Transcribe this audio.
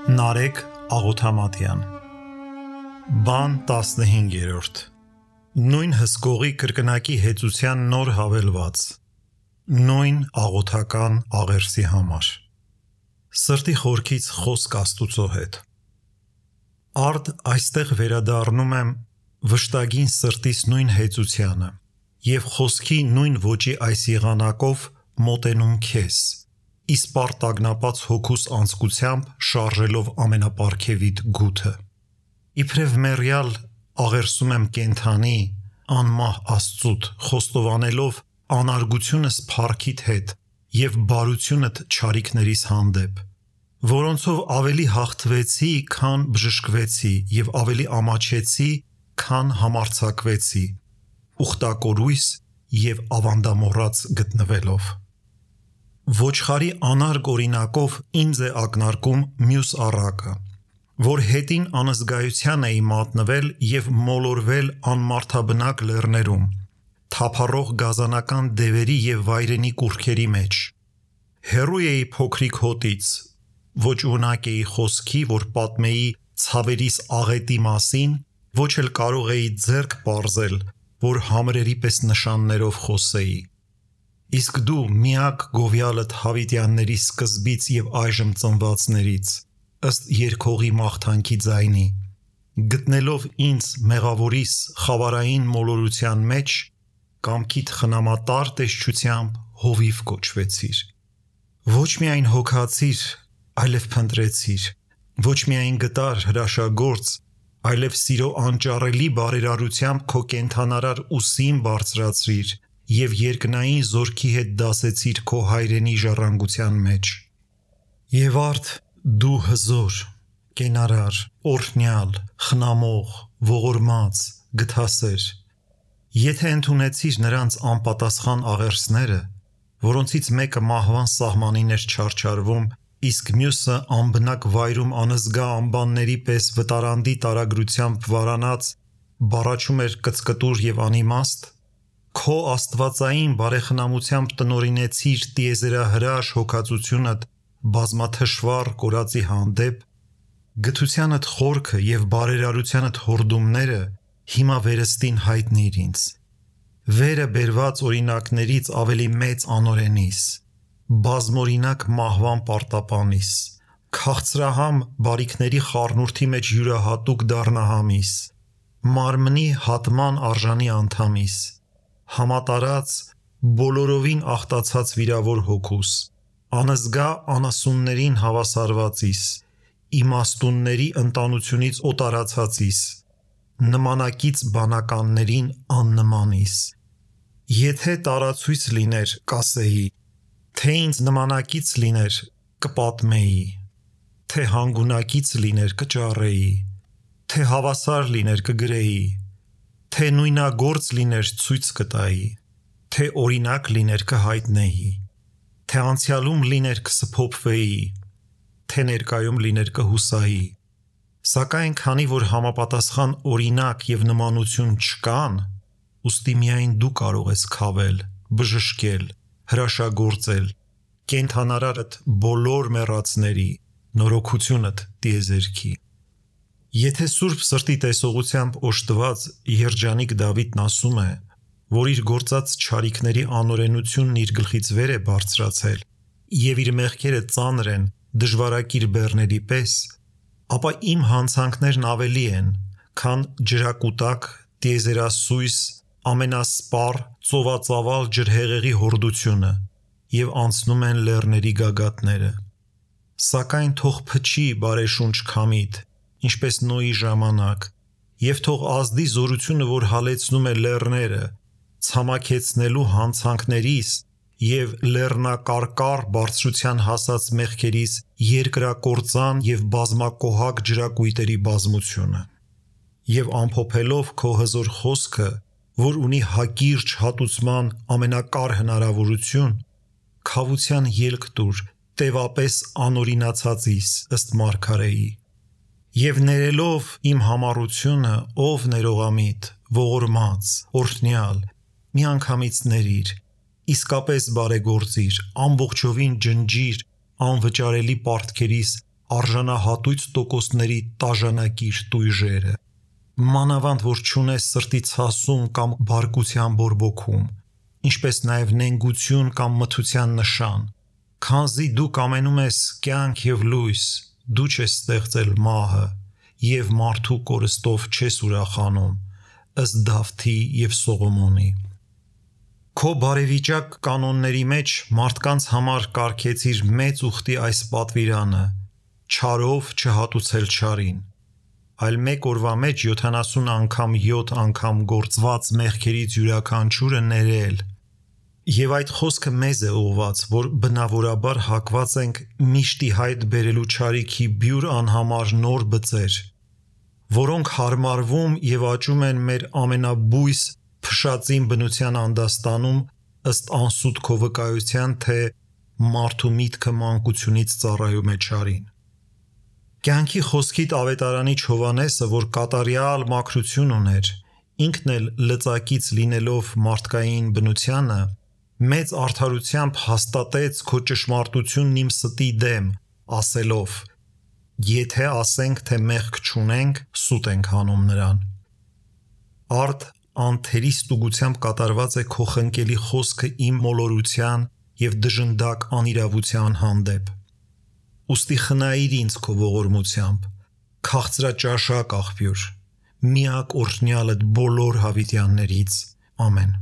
Նարեկ Աղոթամատյան Բան 15-րդ Նույն հսկողի կրկնակի հեծության նոր հավելված Նույն աղոթական աղերսի համար Սրտի խորքից խոսք Աստուծո հետ Արդ այստեղ վերադառնում եմ վշտագին սրտիս նույն հեծությանը և խոսքի նույն ոճի այս եղանակով մոտենում քեզ իսպար տագնապած հոգուս անձկությամբ շարժելով ամենապարգևիտ գութը Իբրև մեռյալ աղերսում եմ կենդանի անմահ Աստծուդ խոստովանելով անարգությունս փառքիդ հետ և բարությունդ չարիքներիս հանդեպ որոնցով ավելի հաղթվեցի քան բժշկվեցի և ավելի ամաչեցի քան համարձակվեցի ուխտակորույս և ավանդամոռաց գտնվելով Ոչխարի անարգ օրինակով ինձ է ակնարկում մյուս առակը որ հետին անզգայության էի մատնվել և մոլորվել անմարդաբնակ լեռներում թափառող գազանական դևերի և վայրենի կուռքերի մեջ հեռու էի փոքրիկ հոտից ոչ ունակ էի խոսքի որ պատմեի ցավերիս աղետի մասին ոչ էլ կարող էի ձեռք պարզել որ համրերի պես նշաններով խոսեի Իսկ դու միակ գովյալդ հավիտյանների սկզբից և այժմ ծնվածներից ըստ երգողի մաղթանքի ձայնի գտնելով ինձ մեղավորիս խավարային մոլորության մեջ կամքիդ խնամատար տեսչությամբ հովիվ կոչվեցիր Ոչ միայն հոգացիր այլև փնտրեցիր ոչ միայն գտար հրաշագործ այլև սիրո անճառելի բարերարությամբ քո կենդանարար ուսին բարձրացրիր և երկնային զորքի հետ դասեցիր քո հայրենի ժառանգության մեջ Եվ արդ դու հզոր, կենարար, օրհնյալ, խնամող, ողորմած, գթասեր Եթե ընդունեցիր նրանց անպատասխան աղերսները որոնցից մեկը մահվան սահմանին էր չարչարվում իսկ մյուսը անբնակ վայրում անզգա անբանների պես վտարանդի տարագրությամբ վարանած բառաչում էր կծկտուր և անիմաստ Քո աստվածային բարեխնամությամբ տնօրինեցիր տիեզերահրաշ հոգածությունդ բազմաթշվառ կորածի հանդեպ գթությանդ խորքը և բարերարությանդ հորդումները հիմա վերստին հայտնիր ինձ վերը բերված օրինակներից ավելի մեծ անօրենիս բազմօրինակ մահվան պարտապանիս քաղցրահամ բարիքների խառնուրդի մեջ յուրահատուկ դառնահամիս մարմնի հատման արժանի անդամիս համատարած բոլորովին ախտացած վիրավոր հոգուս անզգա անասուններին հավասարվածիս իմաստունների ընտանությունից օտարացածիս նմանակից բանականներին աննմանիս Եթե տարացույց լիներ կասեի թե ինձ նմանակից լիներ կպատմեի թե հանգունակից լիներ կճառեի թե հավասար լիներ կգրեի թե նույնագործ լիներ ցույց կտայի թե օրինակ լիներ կհայտնեի թե անցյալում լիներ կսփոփվեի թե ներկայում լիներ կհուսայի Սակայն քանի որ համապատասխան օրինակ և նմանություն չկան ուստի միայն դու կարող ես քավել, բժշկել, հրաշագործել կենդանարարդ բոլոր մեռածների նորոգությունդ տիեզերքի Եթե սուրբ սրտի տեսողությամբ օժտված երջանիկ Դավիթն ասում է որ իր գործած չարիքների անօրենությունն իր գլխից վեր է բարձրացել և իր մեղքերը ծանր են դժվարակիր բեռների պես ապա իմ հանցանքներն ավելի են քան ջրակուտակ տիեզերասույս ամենասպառ ծովածավալ ջրհեղեղի հորդությունը և անցնում են լեռների գագաթները Սակայն թող փչի բարեշունչ քամիդ ինչպես Նոյի ժամանակ և թող ազդի զորությունը որ հալեցնում է լեռները ցամաքեցնելու հանցանքներիս և լեռնակարկառ բարձրության հասած մեղքերիս երկրակործան և բազմակոհակ ջրակույտերի բազմությունը և ամփոփելով քո հզոր խոսքը որ ունի հակիրճ հատուցման ամենակար հնարավորություն քավության ելք տուր տևապես անօրինացածիս ըստ մարգարեի Եվ ներելով իմ համառությունը ով ներողամիտ ողորմած օրհնյալ միանգամից ներիր իսկապես բարեգործիր ամբողջովին ջնջիր անվճարելի պարտքերիս արժանահատույց տոկոսների տաժանակիր տույժերը, մանավանդ որ չունես սրտի ցասում կամ բարկության բորբոքում, ինչպես նաև նենգություն կամ մթության նշան, քանզի դու կամենում ես կյանք և լույս, դու չես ստեղծել մահը և մարդու կորստով չես ուրախանում, ըստ Դավթի և Սողոմոնի։ Քո բարեվիճակ կանոնների մեջ մարդկանց համար կարգեցիր մեծ ուխտի այս պատվիրանը՝ չարով չհատուցել չարին, այլ մեկ օրվա մեջ 70 անգամ 7 անգամ գործված մեղքերից յուրաքանչյուրը ներել։ Եվ այդ խոսքը մեզ է ուղված, որ բնավորաբար հակված ենք միշտ ի հայտ բերելու չարիքի բյուր անհամար նոր բծեր, որոնք հարմարվում և աճում են մեր ամենաբույս փշածին բնության անդաստանում ըստ անսուտ քո վկայության, թե մարդու միտքը մանկությունից ծառայում է չարին։ Կյանքի խոսքիդ ավետարանիչ Հովհաննեսը, որ կատարյալ մաքրություն ուներ, ինքն էլ լծակից լինելով մարդկային բնությանը, մեծ արդարությամբ հաստատեց քո ճշմարտությունն իմ ստի դեմ, ասելով. «Եթե ասենք, թե մեղք չունենք, սուտ ենք հանում նրան»։ Արդ անթերի ստուգությամբ կատարված է քո խնկելի խոսքը իմ մոլորության և դժնդակ անիրավության հանդեպ։ Ուստի խնայիր ինձ քո ողորմությամբ, քաղցրաճաշակ աղբյուր, միակ օրհնյալդ բոլոր հավիտյաններից։ Ամեն։